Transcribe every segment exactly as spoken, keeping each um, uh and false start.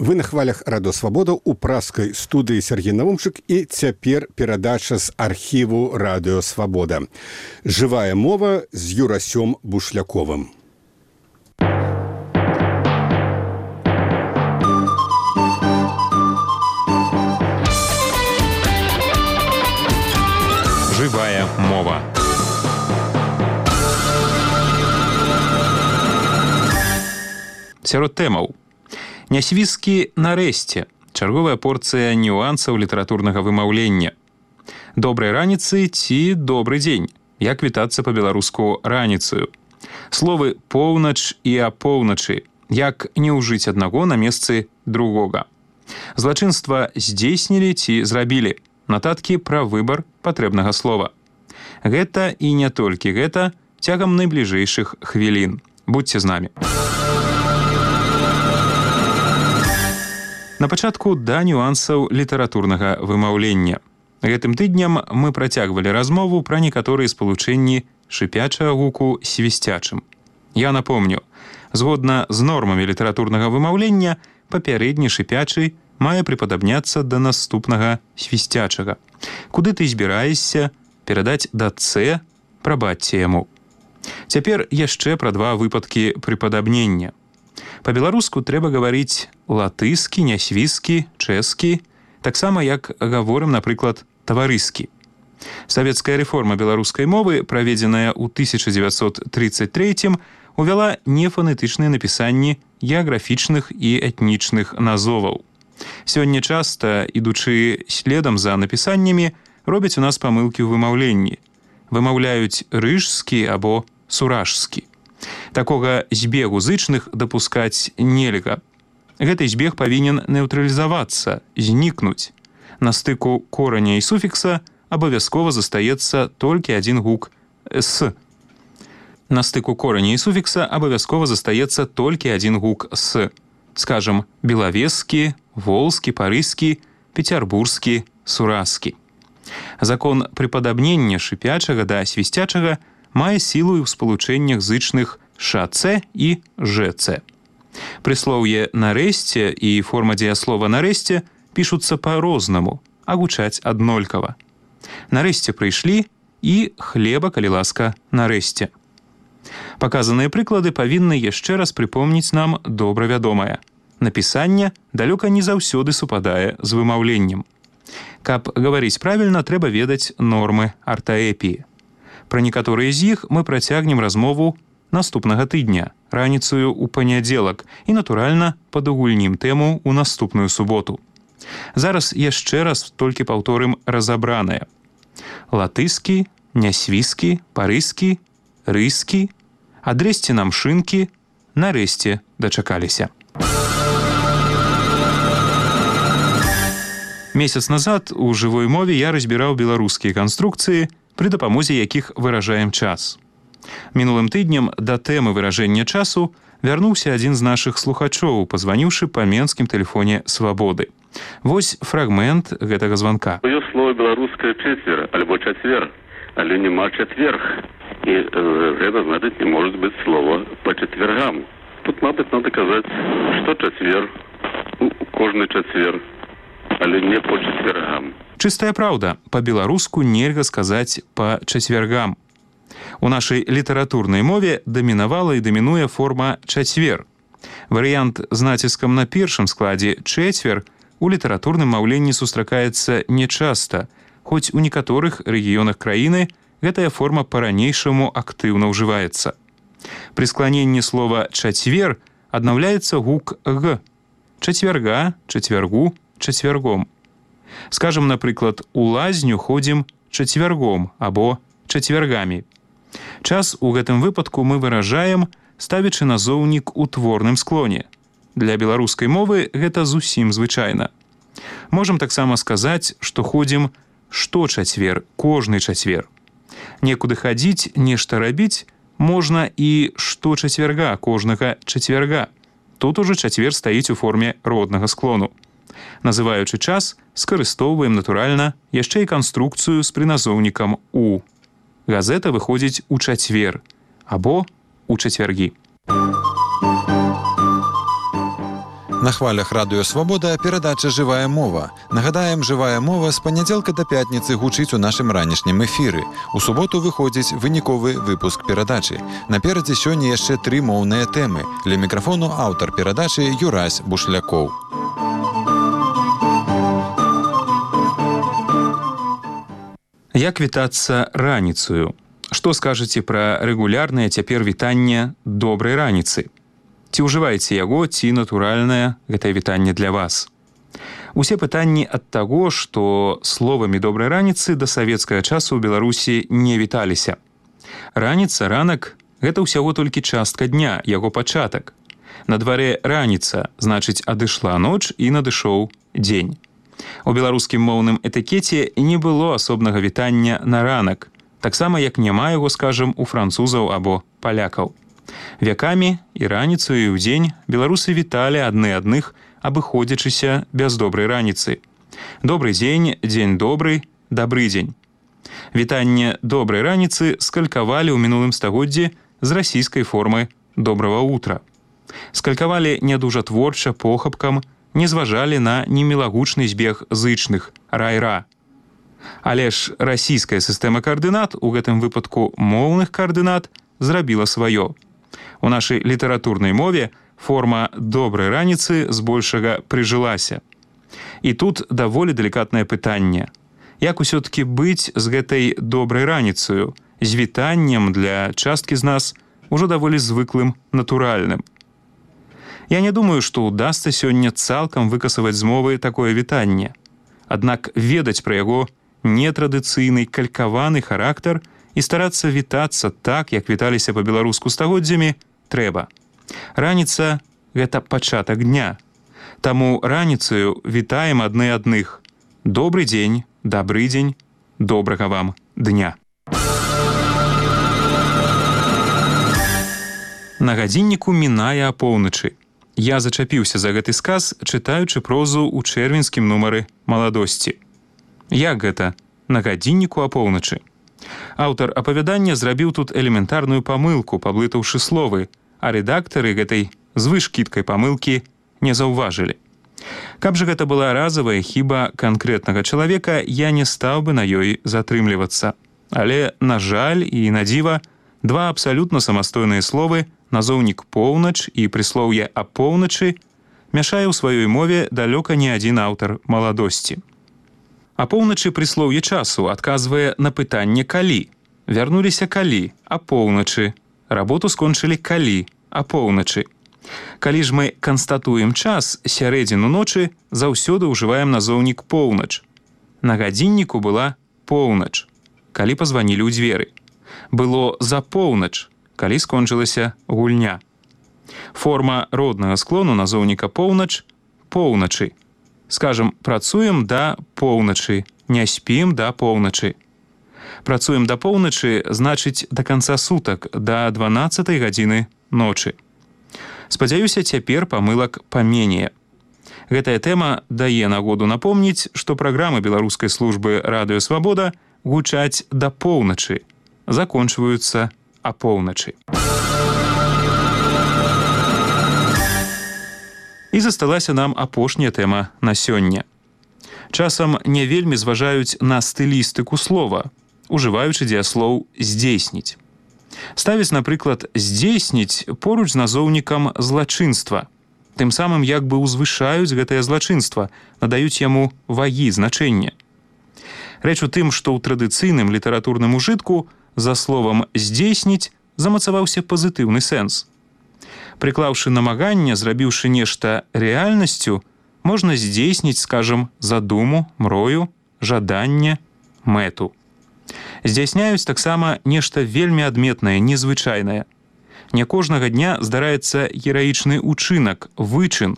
Вы на хвалях Радо Свабода у праскай студыі Сергей Навумчык і цяпер перадача з архіву Радыё Свабода. Жывая мова з Юрасём Бушляковым. Жывая мова. Сярод тэмаў. Нясвізкі нарэшце. Чарговая порцыя нюансаў літаратурнага вымаўлення. Добрай раніцы ці добры дзень. Як вітацца па-беларуску раніцаю. Словы поўнач і апоўначы. Як не ўжыць аднаго на месцы другога. Злачынства здзейснілі ці зрабілі. Нататкі пра выбар патрэбнага слова. Гэта і не толькі гэта цягам найбліжэйшых хвілін. Будьце з намі. На пачатку да нюансаў літаратурнага вымаўлення. Гэтым тыдням мы працягвалі размову пра некаторыя спалучэнні шыпячага гуку свісцячым. Я напомню, згодна з нормамі літаратурнага вымаўлення, папярэдні шыпячы мае прыпадабняцца да наступнага свісцячага. Куды ты збіраешся перадаць да «ц», прабачце яму. Цяпер яшчэ пра два выпадкі прыпадабнення. Па-беларуску трэба гаварыць латыскі, нясвізкі, чэшскі, таксама як гаворым, напрыклад, таварыскі. Савецкая рэформа беларускай мовы, праведзеная ў тысяча дзевяцьсот трыццаць трэцім, увяла нефанетычныя напісанні геаграфічных і этнічных назоваў. Сёння часта, ідучы следам за напісаннямі, робяць у нас памылкі ў вымаўленні. Вымаўляюць рыжскі або суражскі. Такога збегу зычных дапускаць нельга. Гэты збег павінен нейтралізавацца, знікнуць. На стыку кораня і суфікса абавязкова застаецца толькі адзін гук «с». На стыку кораня і суфікса абавязкова застаецца толькі адзін гук «с». Скажам, белавескі, волскі, парыскі, пецярбурскі, суразкі. Закон прыпадабнення шыпячага да свісцячага мае сілу ў спалучэннях зычных «ш-ц» і «ж-ц». Прыслоўе «нарэшце» і форма дзеяслова «нарэшце» пішуцца па-рознаму, а гучаць аднолькава. Нарэшце прыйшлі і хлеба, калі ласка, нарэшце. Паказаныя прыклады павінны яшчэ раз прыпомніць нам добра вядомае. Напісанне далёка не заўсёды супадае з вымаўленнем. Каб гаварыць правільна, трэба ведаць нормы артаэпіі. Пра некаторыя з іх мы працягнем размову наступнага тыдня, раніцаю ў панядзелак і, натуральна, падугульнім тэму ў наступную суботу. Зараз яшчэ раз толькі паўторым разабранае. Латыскі, нясвізкі, парыскі, рыскі, адрэсьце нам шынкі, нарэшце дачакаліся. Месяц назад у жывой мове я разбіраў беларускія канструкцыі, пры дапамозе якіх выражаем час. Мінулым тыднем да тэмы выражэння часу вярнуўся адзін з нашых слухачоў, пазваніўшы па менскім тэлефоне «Свабоды». Вось фрагмент гэтага званка. Ёсць слово беларускае чацвер, альбо чацвер, але няма чатверг. І э, гэта, значыць, не можа быць слова па чацвергам. Тут, мабыць, надо казаць, што чацвер, кожны чацвер, але не па чацвергам. Чыстая праўда, па-беларуску нельга сказаць па чацвергам. У нашай літаратурнай мове дамінавала і дамінуе форма чацвер. Варыянт з націскам на першым складзе чэцвер у літаратурным маўленні сустракаецца нечаста, хоць у некаторых рэгіёнах краіны гэтая форма па-ранейшаму актыўна ўжываецца. Пры скланенні слова чацвер аднаўляецца гук «г». Чацвярга, чацвяргу, чацвяргом. Скажем, напрыклад, у лазню ходзім чацвяргом або чацвяргамі. Час у гэтым выпадку мы выражаем, ставячы назоўнік у творным склоне. Для беларускай мовы гэта зусім звычайна. Можам таксама сказаць, што ходзім што чацвер, кожны чацвер. Некуды хадзіць, нешта рабіць можна і што чацвярга, кожнага чацвярга. Тут ужо чацвер стаіць у форме роднага склону. Называючы час, скарыстоўваем, натуральна, яшчэ і канструкцыю з прыназоўнікам «у». Газета выходзіць у чацвер або у чацвяргі. На хвалях радыё Свабода перадача «Жывая мова». Нагадаем, «Жывая мова» з панядзелка да пятніцы гучыць у нашым ранішнім эфіры. У суботу выходзіць выніковы выпуск перадачы. Наперадзе сёння яшчэ тры моўныя тэмы. Ля мікрафону аўтар перадачы Юрась Бушлякоў. Як вітацца раніцаю? Што скажаце пра рэгулярнае цяпер вітанне добрай раніцы? Ці ўжываеце яго, ці натуральнае гэтае вітанне для вас? Усе пытанні ад таго, што словамі добрай раніцы да савецкага часу ў Беларусі не віталіся. Раніца, ранак – гэта ўсяго толькі частка дня, яго пачатак. На дварэ раніца, значыць, адышла ноч і надышоў дзень. У беларускім моўным этыкеце не было асобнага вітання на ранак, таксама як няма яго, скажам, у французаў або палякаў. Вякамі і раніцу, і ўдзень беларусы віталі адны адных, абыходзячыся без добрай раніцы. Добры дзень, дзень добры, дабры дзень. Вітанне добрай раніцы скалькавалі ў мінулым стагоддзі з расійскай формы добрага утра. Скалькавалі не дужа творча, похапкам, не зважалі на немілагучны збег зычных рай-ра. Але ж расійская сістэма каардынат, у гэтым выпадку моўных каардынат, зрабіла сваё. У нашай літаратурнай мове форма добрай раніцы збольшага прыжылася. І тут даволі далікатнае пытанне. Як усё-ткі быць з гэтай добрай раніцаю, з вітаннем для часткі з нас ужо даволі звыклым натуральным? Я не думаю, што ўдасца сёння цалкам выкасаваць з мовы такое вітанне. Аднак ведаць пра яго нетрадыцыйны, калькаваны характар і старацца вітацца так, як віталіся па-беларуску стагоддзямі, трэба. Раніца – гэта пачатак дня. Таму раніцаю вітаем адны адных. Добры дзень, дабры дзень, добрага вам дня. На гадзінніку мінае апоўначы. Я зачапіўся за гэты сказ, чытаючы прозу ў чэрвеньскім нумары «Маладосці». Як гэта? На гадзінніку апоўначы. Аўтар апавядання зрабіў тут элементарную памылку, паблытаўшы словы, а рэдактары гэтай звышкідкай памылкі не заўважылі. Каб жа гэта была разавая хіба канкрэтнага чалавека, я не стаў бы на ёй затрымлівацца. Але, на жаль і на дзіва, два абсалютна самастойныя словы, назоўнік «поўнач» і прыслоўе «апоўначы» мяшае ў сваёй мове далёка не адзін аўтар «Маладосці». Апоўначы прыслоўе часу адказвае на пытанне «калі». Вярнуліся калі, апоўначы. Работу скончылі калі, апоўначы. Калі ж мы канстатуем час, сярэдзіну ночы, заўсёды ўжываем назоўнік «поўнач». На гадзінніку была поўнач, калі пазванілі ў дзверы. Было за поўнач, калі скончылася гульня. Форма роднага склону назоўніка «поўнач» – поўначы. Скажам, працуем да поўначы, не спім да поўначы. Працуем да поўначы, значыць, да канца сутак, да дванаццатай гадзіны ночы. Спадзяюся, цяпер памылак паменее. Гэтая тэма дае нагоду напомніць, што праграмы беларускай службы «Радыё Свабода» гучаць да поўначы, закончваюцца апоўначы. І засталася нам апошняя тэма на сёння. Часам не вельмі зважаюць на стылістыку слова, ужываючы дзеяслоў «здзейсніць». Ставіць, напрыклад, «здзейсніць» поруч з назоўнікам «злачынства». Тым самым як бы ўзвышаюць гэтае злачынства, надаюць яму вагі значэння. Рэч у тым, што ў традыцыйным літаратурным ужытку за словам «здзейсніць» замацаваўся пазітыўны сэнс. Прыклаўшы намаганне, зрабіўшы нешта рэальнасцю, можна здзейсніць, скажам, задуму, мрою, жаданне, мэту. Здзяйсняюць таксама нешта вельмі адметнае, незвычайнае. Не кожнага дня здараецца гераічны учынак, вычын.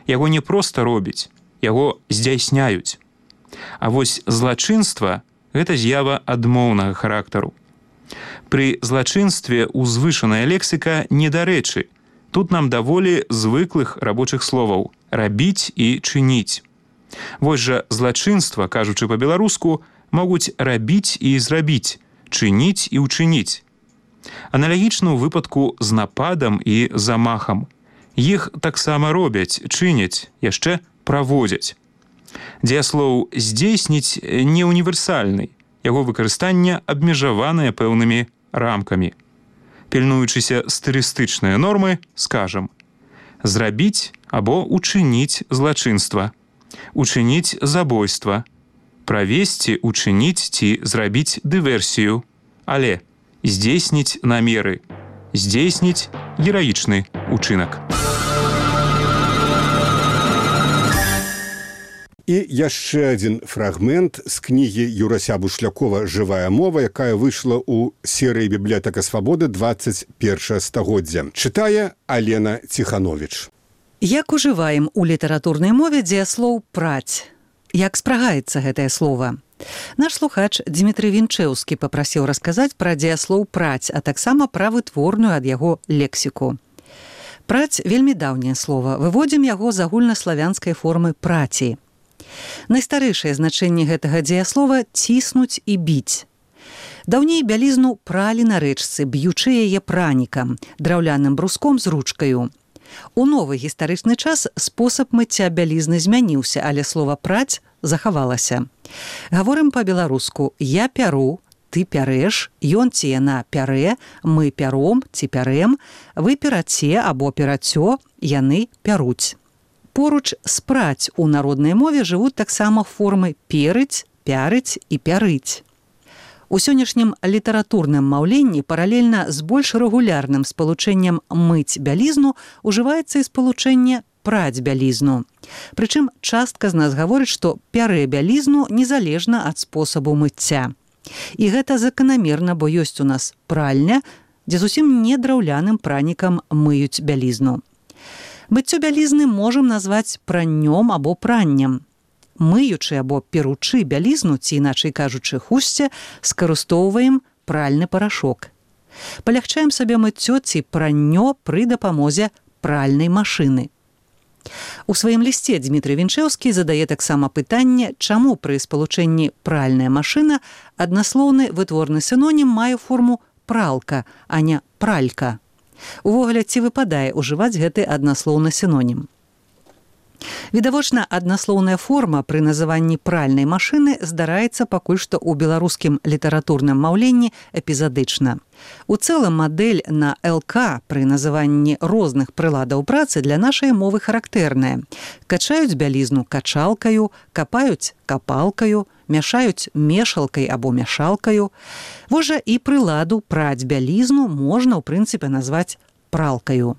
Яго не проста робіць, яго здзяйсняюць. А вось злачынства – гэта з'ява адмоўнага характару. Пры злачынстве узвышаная лексіка недарэчы. Тут нам даволі звыклых рабочых словаў «рабіць» і «чыніць». Вось жа злачынства, кажучы па-беларуску, могуць рабіць і зрабіць, чыніць і ўчыніць. Аналагічна ў выпадку з нападам і замахам. Іх таксама робяць, чыняць, яшчэ праводзяць. Дзеяслоў «здзейсніць» не універсальны, яго выкарыстанне абмежаванае пэўнымі рамкамі. Пільнуючыся стылістычныя нормы, скажам: зрабіць або учыніць злачынства, учыніць забойства, правесці, учыніць ці зрабіць дыверсію, але здзейсніць намеры, здзейсніць гераічны учынак. І яшчэ адзін фрагмент з кнігі Юрася Бушлякова «Жывая мова», якая выйшла ў серыі «Бібліятэка свабоды» двадцать першае стагоддзя. Чытае Алена Ціхановіч. Як ужываем у літаратурнай мове дзеяслоў «праць»? Як спрагаецца гэтае слова? Наш слухач Дмітрый Вінчэўскі папрасіў расказаць пра дзеяслоў «праць», а таксама пра вытворную ад яго лексіку. «Праць» – вельмі даўняе слова. Выводзім яго з агульнаславянскай формы «праці». Найстарэйшае значэнне гэтага дзеяслова – ціснуць і біць. Даўней бялізну пралі на рэчцы, б'ючы яе пранікам, драўляным бруском з ручкаю. У новы гістарычны час спосаб мыцця бялізны змяніўся, але слова «праць» захавалася. Гаворым па-беларуску: я пяру, ты пярэш, ён ці яна пярэ, мы пяром ці пярэм, вы пераце або перацё, яны пяруць. Поруч з «праць» у народнай мове жывуць таксама формы «перыць», «пярыць» і «пярыць». У сённяшнім літаратурным маўленні паралельна з больш рэгулярным спалучэннем «мыць бялізну» ужываецца і спалучэнне «праць бялізну». Прычым частка з нас гаворыць, што пярэ бялізну незалежна ад спосабу мыцця. І гэта заканамерна, бо ёсць у нас пральня, дзе зусім не драўляным пранікам мыюць бялізну. Мыццё бялізны можам назваць праннём або праннем. Мыючы або перучы бялізну, ці іначай кажучы хусце, скарыстоўваем пральны парашок. Палягчаем сабе мыццё ці праннё пры дапамозе пральнай машыны. У сваім лісце Дмітрый Вінчэўскі задае таксама пытанне, чаму пры спалучэнні «пральная машына» аднаслоўны вытворны сінонім мае форму «пралка», а не «пралька». Увогуле, ці выпадае ўжываць гэты аднаслоўны сінонім? Відавочна, аднаслоўная форма пры называнні пральнай машыны здараецца пакуль што ў беларускім літаратурным маўленні эпізадычна. У цэлым мадэль на ЛК пры называнні розных прыладаў працы для нашай мовы характэрная. Качаюць бялізну качалкаю, капаюць капалкаю, мяшаюць мешалкай або мяшалкаю. Вось жа і прыладу праць бялізну можна, ў прынцыпе, назваць пралкаю.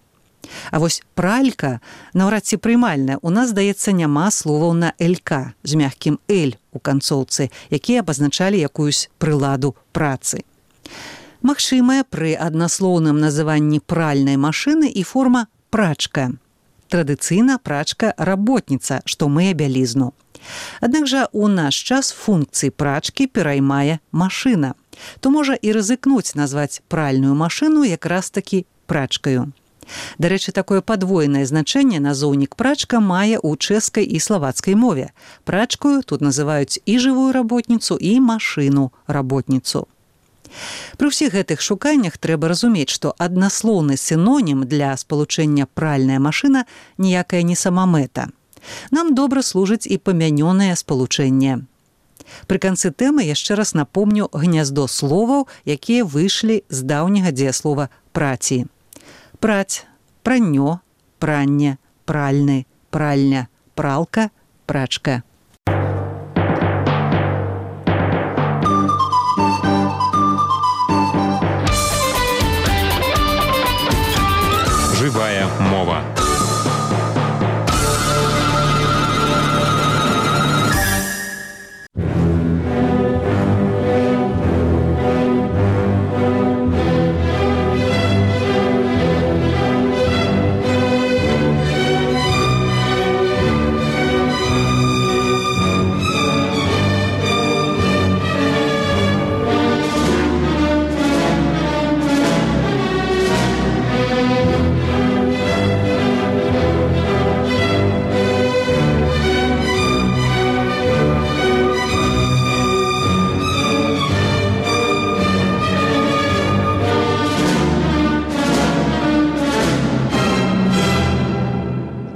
А вось пралька наўрад ці прымальная. У нас, здаецца, няма словаў на «лк» з мягкім «л» у канцоўцы, якія абазначалі якуюсь прыладу працы. Магчымая пры аднаслоўным называнні пральнай машыны і форма «прачка». Традыцыйна прачка – работніца, што мые бялізну. Аднак жа у наш час функцыі прачкі пераймае машына. То можа і рызыкнуць назваць пральную машыну якраз-такі прачкаю. Дарэчы, такое падвойнае значэнне назоўнік прачка мае ў чэшскай і славацкай мове. Прачкаю тут называюць і жывую работніцу, і машыну-работніцу. Пры ўсіх гэтых шуканнях трэба разумець, што аднаслоўны сінонім для спалучэння «пральная машына» ніякая не самамэта. Нам добра служыць і памянёнае спалучэнне. Пры канцы тэмы яшчэ раз напомню гняздо словаў, якія выйшлі з даўняга дзеяслова «праці». Праць, праннё, пранне, пральны, пральня, пралка, прачка. Живая